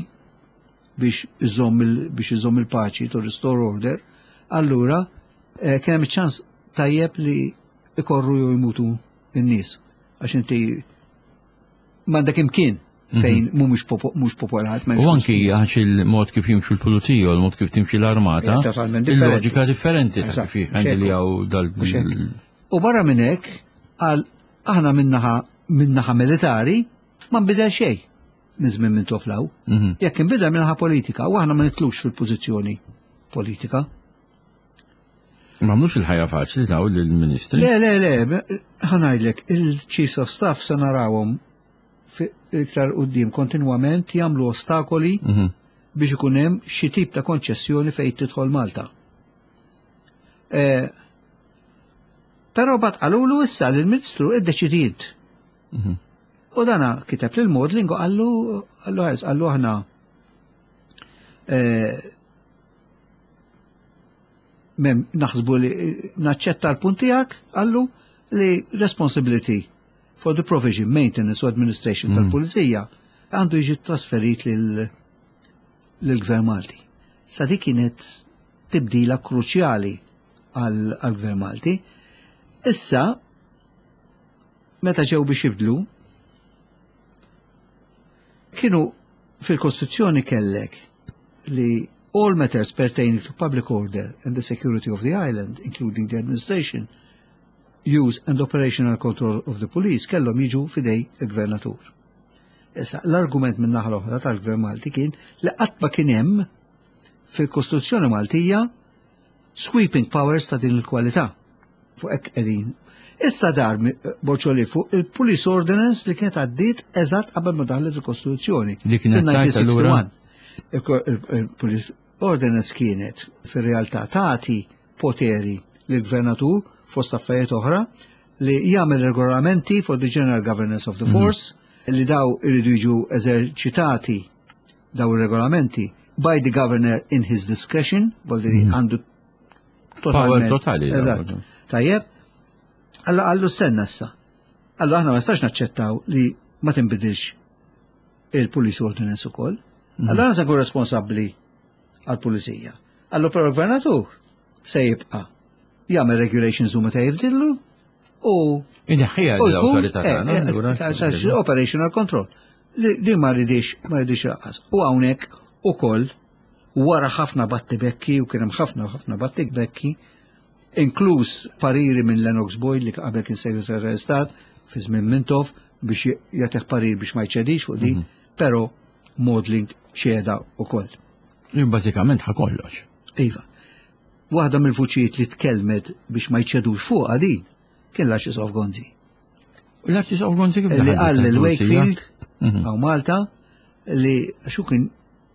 biex iżomm biex iżomm il-paċi to restore order, allura eh, kien hemm ċans tajjeb li ikorru jew jmutu n-nies. Għax inti m'għandek imkien mhm. fejn mhumiex mhux popolat. U anki għax il-mod kif jimxu l-pulizija u l-mod kif timxi l-armata, il-loġika differenti ta' kif jħandiljaw dal. U barra minn hekk, għal aħna minnaħa minnaħa militari ma nbidel xejn minn żmien minn toflaw. Mhm. Jekk inbidel minnaħa politika u aħna ma nitlux fil-pożizzjoni politika. Ma mhux il-ħajja faċli daw lill-ministri. Le, le, le, ħanajdlek, il-Chiefs of Staff se narawhom iktar qudiem kontinwament jagħmlu ostakoli mhm. biex ikun hemm xi tip ta' konċessjoni fejn tidħol Malta. Eh, Però bat qalulu issa lill-Ministru iddeċidi int. Mhm. U dana kiteb lil Maudling u qallu qallu ħares qallu aħna eh, mem naħsbu li naċċetta l-punt tiegħek qallu li responsibility for the provision, maintenance u administration mm. tal-pulizija għandu jiġi trasferit lill-Gvern Malti. Sa dik kienet tibdila kruċjali għall-Gvern Malti. Issa, meta ġew biex jibdlu, kienu fil-Kostituzzjoni kellek li all matters pertaining to public order and the security of the island, including the administration, use and operational control of the police, kellhom jiġu fidej il-gvernatur. Issa, l-argument minn naħa l-oħra tal-Gvern Malti kien li qatt ma kien hemm fil-Kostituzzjoni Maltija sweeping powers ta' din il-kwalità. Fuq hekk qegħdin. Issa dar Boċoli fuq il-Police Ordinance li kienet għaddiet eżatt qabel ma daħlet il-Kostituzzjoni. Li kienet 1961. Il-Police Ordinance kienet fir-realtà tagħti poteri lill-gvernatur fost affarijiet oħra li jagħmel regolamenti for the general governance of the mhm. force mm. li daw iridu jiġu eżerċitati daw ir-regolamenti by the governor in his discretion, vuol mm. għandu totalment. totali. Eżatt. Tajjeb. Alla għallu stenna issa. Alla aħna ma nistax naċċettaw li ma tinbidilx il-police ordinance ukoll. Mm. Allora aħna se nkun responsabbli għall-pulizija. Allu però l-gvernatur se jibqa' jagħmel regulations u meta jifdillu u Inħija l-autorità eh, eh, Operational control. Li ma rridix, ma rridix laqas. U hawnhekk ukoll wara ħafna battibekki u kien hemm ħafna ħafna battibekki, inkluż pariri minn Lennox Boyd li qabel kien segretarju tal-Istat fi żmien Mintoff biex jagħtih parir biex ma jċedix fuq din, mhm. però Maudling ċeda ukoll. Bażikament ħa kollox. Iva. Waħda mill-vuċijiet li tkellmet biex ma jċedux fuq din kien l-Arċisqof Gonzi. L-Arċisqof Gonzi kif Li qal lil Wakefield mhm. għaw Malta li xu kien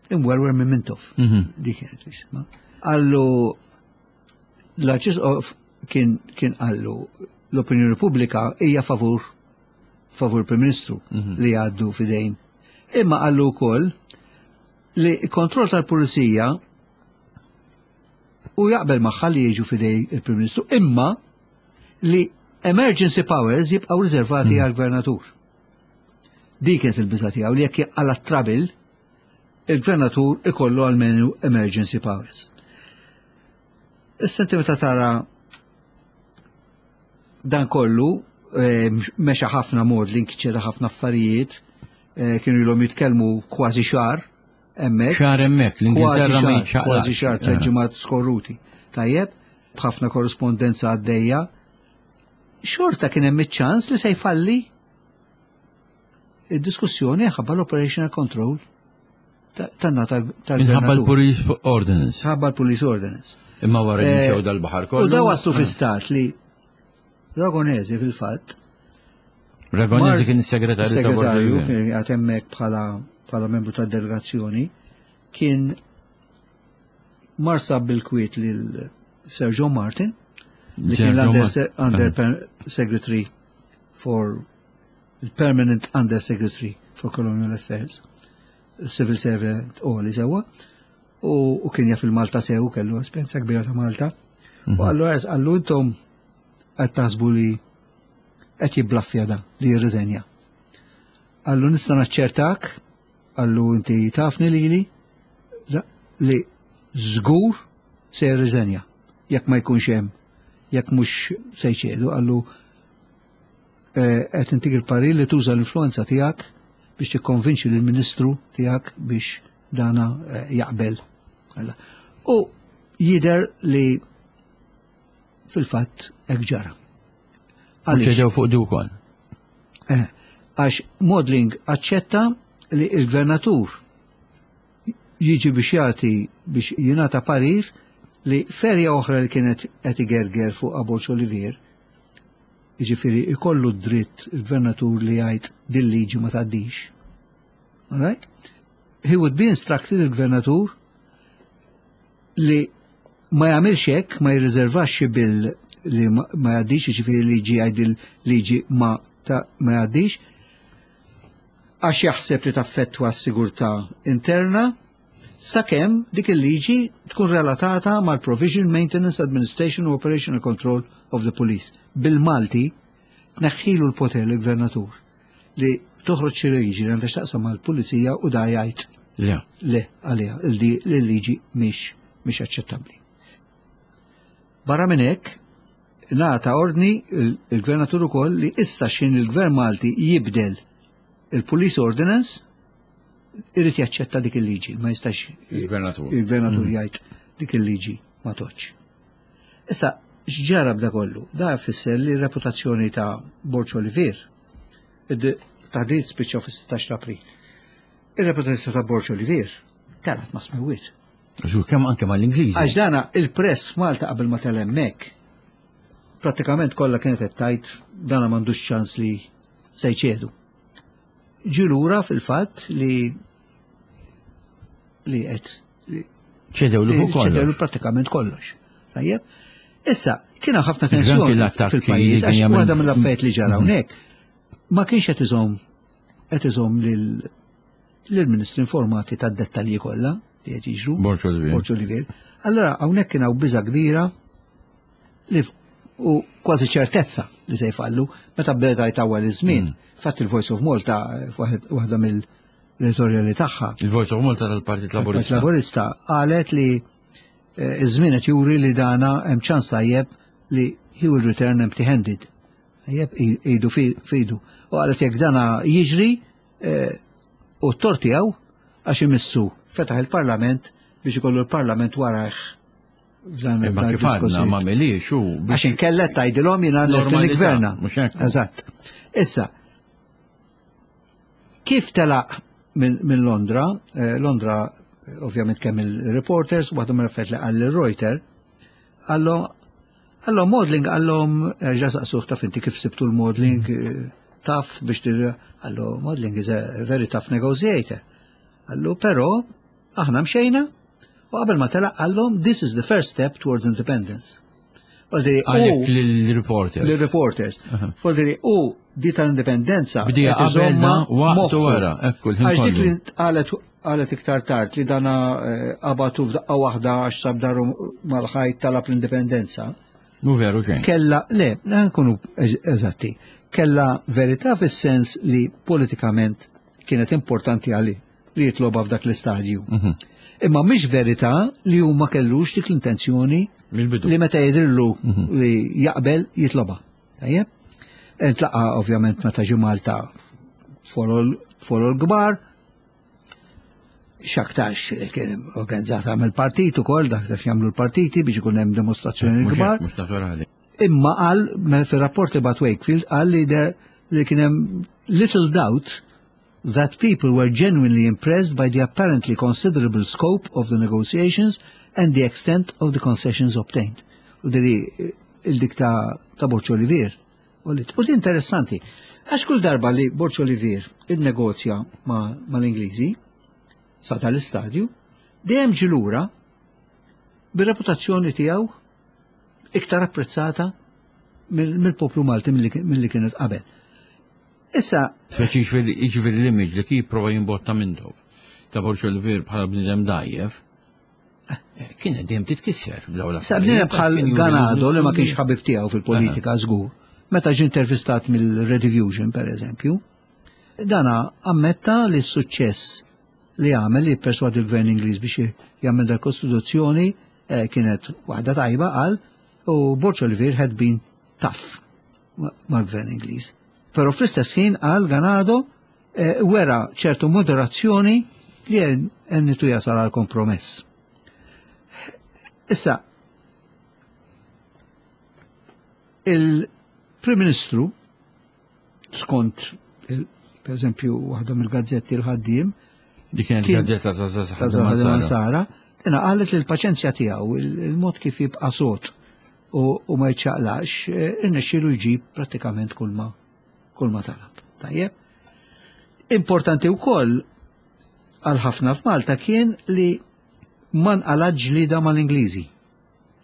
imwerwer minn Mintoff. Mhm. Di kienet jisma. Għallu l-Arċisqof kien kien għallu l-opinjoni pubblika hija favur favur Prim Ministru mhm. li għaddu fidejn. Imma għallu wkoll li kontroll tal-pulizija u jaqbel magħha li jiġu fidej il-Prim Ministru, imma li emergency powers jibqgħu riservati hmm. għall-gvernatur. Dik kienet il-biża tiegħu li jekk għala trabil il-gvernatur ikollu għalmenu emergency powers. Issa inti meta tara dan kollu eh, mexa ħafna mod li nkiċċera ħafna affarijiet, eh, kienu ilhom jitkellmu kważi xahar hemmhekk. Xahar hemmhekk, l-Ingilterra ma jiċċaqlaqx. Kważi xahar tliet eh. ġimgħat skorruti. Tajjeb, b'ħafna korrispondenza għaddejja. Xorta kien hemm iċ-ċans li se jfalli id-diskussjoni ħabba l-operational control tanna tal Minħabba l-Police Ordinance. Ħabba l-Police Ordinance. Imma wara li eh, dal-baħar kollu. U da waslu fi stat li Ragonesi fil-fatt. Ragonesi kien is-segretarju. Segretarju kien għad hemmhekk bħala bħala membru tad-delegazzjoni kien marsab bil-kwiet lil Sir John Martin, li kien l-Under Secretary for il-Permanent Under Secretary for Colonial Affairs, Civil Servant u li sewa, u kien jaf il-Malta sew, kellu esperjenza kbira ta' Malta. U għallu għaz, għallu intom qed taħsbu li qed jibblaffja da li jirriżenja. Għallu nista' naċċertak, għallu inti tafni lili, li żgur se jirriżenja jekk ma jkunx hemm, jekk mhux se jċedu, għallu qed intik il-parir li tuża l-influenza tiegħek biex tikkonvinċi lill-ministru tiegħek biex dana jaqbel. U jider li fil-fatt hekk ġara. Għaliex fuq di wkoll. Għax Maudling aċċetta li il-gvernatur jiġi biex jagħti biex jingħata parir li ferja oħra li kienet qed igerger fuq Borg Olivier, jiġifieri ikollu dritt il-gvernatur li jgħid din liġi ma tgħaddix. All right? He would be instructed il-gvernatur li ma jagħmilx hekk, ma jirriservax xi bill li ma jgħaddix, jiġifieri liġi jgħid liġi ma ma jgħaddix, għax jaħseb li taffettwa s-sigurtà interna, sakemm dik il-liġi tkun relatata mal-Provision, Maintenance, Administration u Operational Control of the Police. Bil-Malti, tneħħilu l-poter l-gvernatur li toħroġ xi liġi li għandha x'taqsam mal-pulizija u da jgħid le għaliha il-liġi mhix aċċettabbli. Barra minn hekk, ngħata ordni il-gvernatur ukoll li issa xin il-gvern Malti jibdel il-Police Ordinance irid jaċċetta dik il-liġi, ma jistax il-gvernatur il-gvernatur jgħid dik il-liġi ma toċ. Issa, x'ġara b'da kollu? Da fisser li reputazzjoni ta' Borg Olivier, taħdit spiċċaw fis-16 April. Ir-reputazzjoni ta' Borg Olivier telgħet ma' smewwiet. Għax kemm anke mal-Ingliżi. Għax dana il-press f'Malta qabel ma tela' hemmhekk, pratikament kollha kienet qed tgħid dana m'għandux ċans li se jċedu. Ġie lura fil-fatt li li qed ċedew li fuq kollox. ċedew pratikament kollox. Tajjeb? Issa, kien ħafna tensjoni fil-pajjiż għax waħda mill-affarijiet li ġara hawnhekk ma kienx qed iżomm qed iżomm lill-ministri informati tad-dettalji kollha li qed jiġru. Borg Olivier. Allora hawnhekk kien hawn biża' kbira li u kważi ċertezza li se jfallu meta beda jtawwal iż-żmien. Fatt il-Voice of Malta waħda mill-editorjali tagħha. Il-Voice of Malta tal-Partit Laburista. Laburista qalet li iż-żmien qed juri li dana hemm ċans tajjeb li he will return empty-handed. Tajjeb idu fidu. U qalet jekk dana jiġri u t-tort tiegħu għax imissu fetaħ il-Parlament biex ikollu l-Parlament warajh f'dan Imma kif għadna ma milix u Għax inkella tgħidilhom jiena lest li gverna. Eżatt. Issa, kif telaq minn Londra, Londra ovvjament kemm il-reporters, waħda mill affarijiet li qal Reuters, għallhom Maudling għallhom erġa' saqsuh taf inti kif sibtu l-Maudling taf biex għallu Maudling is a very tough negotiator. Għallu però aħna mxejna u qabel ma telaq għallhom this is the first step towards independence. Għalek l-reporters. L-reporters. Voldiri, u di tal-indipendenza. Bdija qabelna waqt wara, ekku l Għax dik li qalet qalet iktar tard li dana qabatu f'daqqa waħda għax sab daru mal-ħajt talab l-indipendenza. Mu veru xejn. Kella, le, nkunu eżatti. Kella verità fis-sens li politikament kienet importanti għali li jitloba f'dak l-istadju. Imma mhix verità li huma kellux dik l-intenzjoni li meta jidrillu li jaqbel jitloba. Tajjeb? Intlaqa ovvjament meta ġi Malta folol kbar, xaktarx kien organizzata mill-partit ukoll dak kif jagħmlu l-partiti biex ikun hemm dimostrazzjoni kbar. Imma qal fir-rapport li bat Wakefield qal li li kien hemm little doubt that people were genuinely impressed by the apparently considerable scope of the negotiations and the extent of the concessions obtained. U diri il-dik ta' Borg Olivier. U di interessanti, għax kull darba li Borg Olivier il-negozja ma' l-Ingliżi, sa tal-istadju, dejjem ġie lura bir-reputazzjoni tiegħu iktar apprezzata mill-poplu Malti milli kienet qabel. Issa. Speċi jiġifieri l-image li kien jipprova jimbotta Mintoff ta' Borg Olivier bħala bniedem dgħajjef, eh, kienet dejjem titkisser b'dawn Sa bniedem bħal Ganado li ma kienx ħabib tiegħu fil-politika żgur. Meta ġie intervistat mill-Redivision per eżempju, dana ammetta li s-suċċess li għamel li jipperswadi l-gvern Ingliż biex jagħmel dal-Kostituzzjoni eh, kienet waħda tajba qal u Borg Olivier had been tough mal-gvern Ingliż. Però fl-istess ħin qal Ganado eh, wera ċertu moderazzjoni li għennitu jasal għal kompromess. Issa, il-Prim Ministru, skont, per eżempju, waħda mill-gazzetti l-ħaddiem, Di kienet gazzetta ta' Zaza Sara, tina qalet li l-paċenzja tiegħu, il-mod kif jibqa' sod u ma jċaqlax, eh, irnexxielu jġib prattikament kulma kulma talab. Tajjeb. Importanti wkoll għal ħafna f'Malta kien li ma nqala ġlida mal-Ingliżi.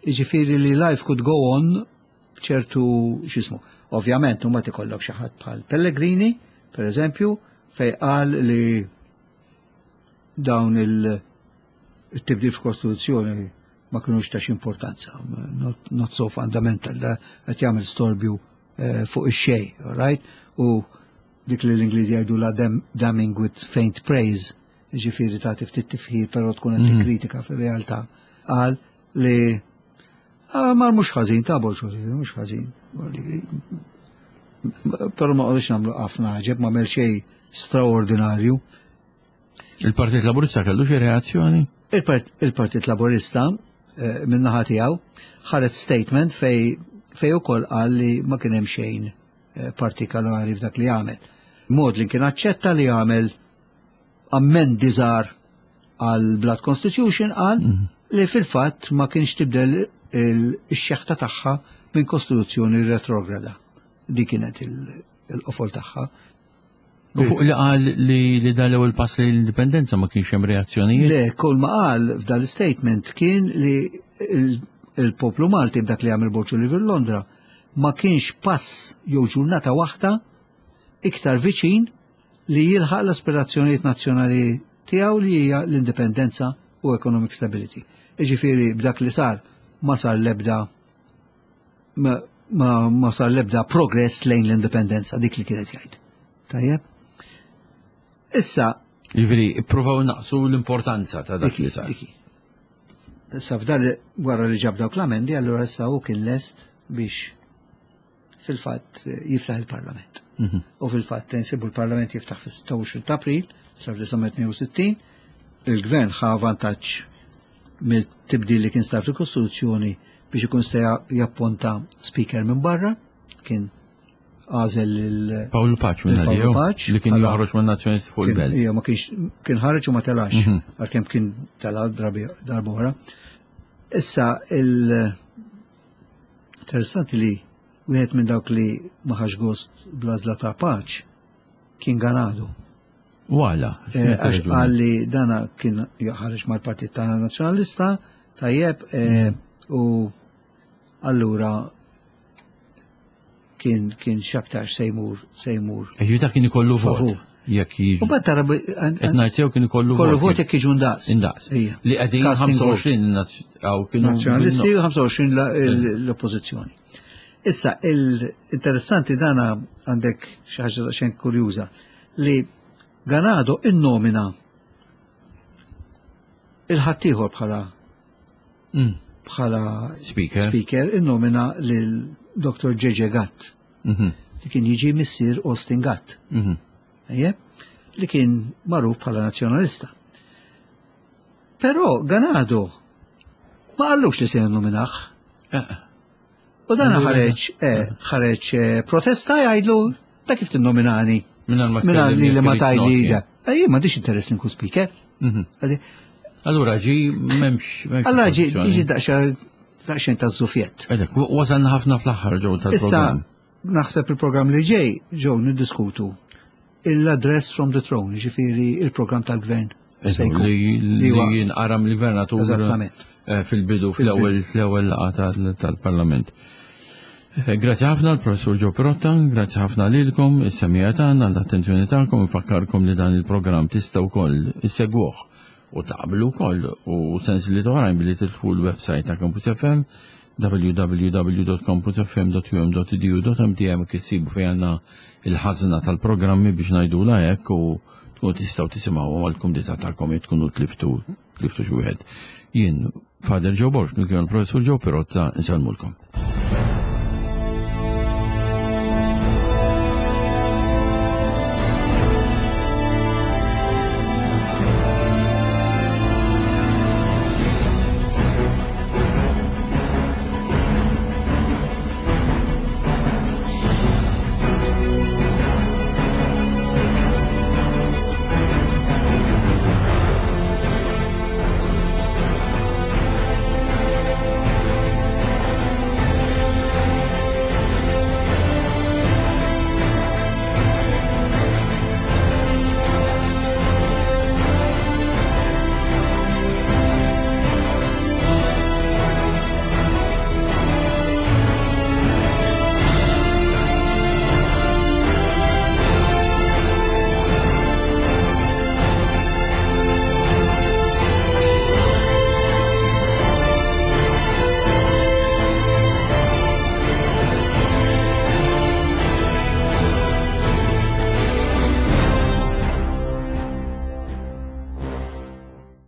Jiġifieri li life could go on b'ċertu x'ismu. Ovvjament huma tikollok xi ħadd bħal Pellegrini, per eżempju, fej qal li dawn il-tibdil f'Kostituzzjoni ma kinux ta' importanza, not, not so fundamental, da qed jagħmel storbju eh, fuq ix-xejn, all right? U dik li l-Ingliżi jgħidu la damning with faint praise, ġifieri ta' ftit tifħir però tkun qed mhm. kritika fir-realtà, qal li ah, mar mhux ħażin ta' bolxu, mhux ħażin. Però ma qogħdux nagħmlu ħafna ġeb ma għamel xejn straordinarju. Il-Partit Laburista kellu xi reazzjoni? Il-Partit Laburista eh, min-naħa tiegħu ħaret statement fej fej ukoll qal li ma kien hemm xejn eh, partikolari f'dak li għamel. Mod li kien aċċetta li għamel ammendi żgħar għal Blood Constitution qal mhm. li fil-fatt ma kienx tibdel il-xeħta tagħha minn kostituzzjoni retrograda. Di kienet il-qofol tagħha. U fuq li qal li li dan l-ewwel pass lejn l-indipendenza ma kienx hemm reazzjonijiet? Le, kull ma qal f'dan l-statement kien li il-poplu Malti b'dak li għamel Borġ Oliver Londra ma kienx pass jew ġurnata waħda iktar viċin li jilħaq l-aspirazzjonijiet nazzjonali tiegħu li hija l-indipendenza u economic stability. Iġifieri b'dak li sar ma sar l-ebda ma, ma, ma sar l-ebda progress lejn l-indipendenza dik li kienet jgħid. Tajjeb? Issa. Jiġifieri ippruvaw naqsu l-importanza ta' dak li sar. Issa f'dal wara li ġab dawk l-amendi, allura issa hu kien lest biex fil-fatt jiftaħ il-Parlament. Mhm. U fil-fatt nsibu l-Parlament jiftaħ fis-26 ta' April 1962, il-Gvern ħa vantaġġ mill-tibdil li kien sar fil-Kostituzzjoni biex ikun sta japponta speaker minn barra, kien għażel il Paolo Paċ minn Paolo Paċ li kien joħroġ minn Nazzjonisti fuq il-belt. Ija, ma kienx kien ħareġ u ma telax, mhm. għalkemm kien tela drabi darbora. Issa il Interessanti li wieħed minn dawk li ma ħax gost bl-għażla ta' Paċ kien Ganado. Wala. Eh, għax qal li dana kien ħareġ mal-Partit ta' Nazzjonalista, tajjeb, eh, u allura kien kien xaktar sejmur sejmur. Ejju ta' kien ikollu vot. Jekk jiġu. U bat tara qed ngħid sew kien ikollu vot. Kollu vot jekk jiġu ndaqs. Indaqs. Li qegħdin 25 għaw kienu. Nazzjonalisti u 25 l-oppożizzjoni. Issa, il-interessanti dana għandek xi ħaġa xejn kurjuża li Ganado innomina il-ħaddieħor bħala mm. bħala speaker, speaker innomina lil Dr. Ġeġe Gatt. Mhm. Li kien jiġi missier Austin Gatt. Mhm. Li kien magħruf bħala nazzjonalista. Però Ganado ma qallux li se jinnominaħ. Eh. U dan ħareġ eh, ħareġ eh, protesta jgħidlu ta' kif tinnominani. Minna li li ma tajli da. Ejja, ma diċ interess li nkun speaker. Mhm. Allura ġi memx. Allura ġi ġi daqxejn ta' zufjett. Edek, wasalna ħafna fl-aħħar ġew tal Issa naħseb il-programm li ġej ġew niddiskutu l-address from the throne, ġifieri il-programm tal-gvern. Se jkun. Li jinqara mill-gvernatur. Eżattament. Eh, fil-bidu, fl-ewwel fl-ewwel laqgħa tal-Parlament. Eh, grazzi ħafna l-Professur Joe Pirotta, grazzi ħafna lilkom, is-semija tagħna, l-attenzjoni tagħkom, infakkarkom li dan il-programm tistgħu wkoll issegwuh u taqblu wkoll u sens li oħrajn billi tidħlu l-website ta' Campus FM www.campusfm.um.edu.mtm kissibu fejn għandna il-ħażna tal-programmi biex ngħidula hekk u tkunu tistgħu tisimgħu għall-kumdità tagħkom jekk tkunu tliftu tliftu xi wieħed. Jien Father Joe Borg, kien il-Professur Joe Pirotta, insellmulkom.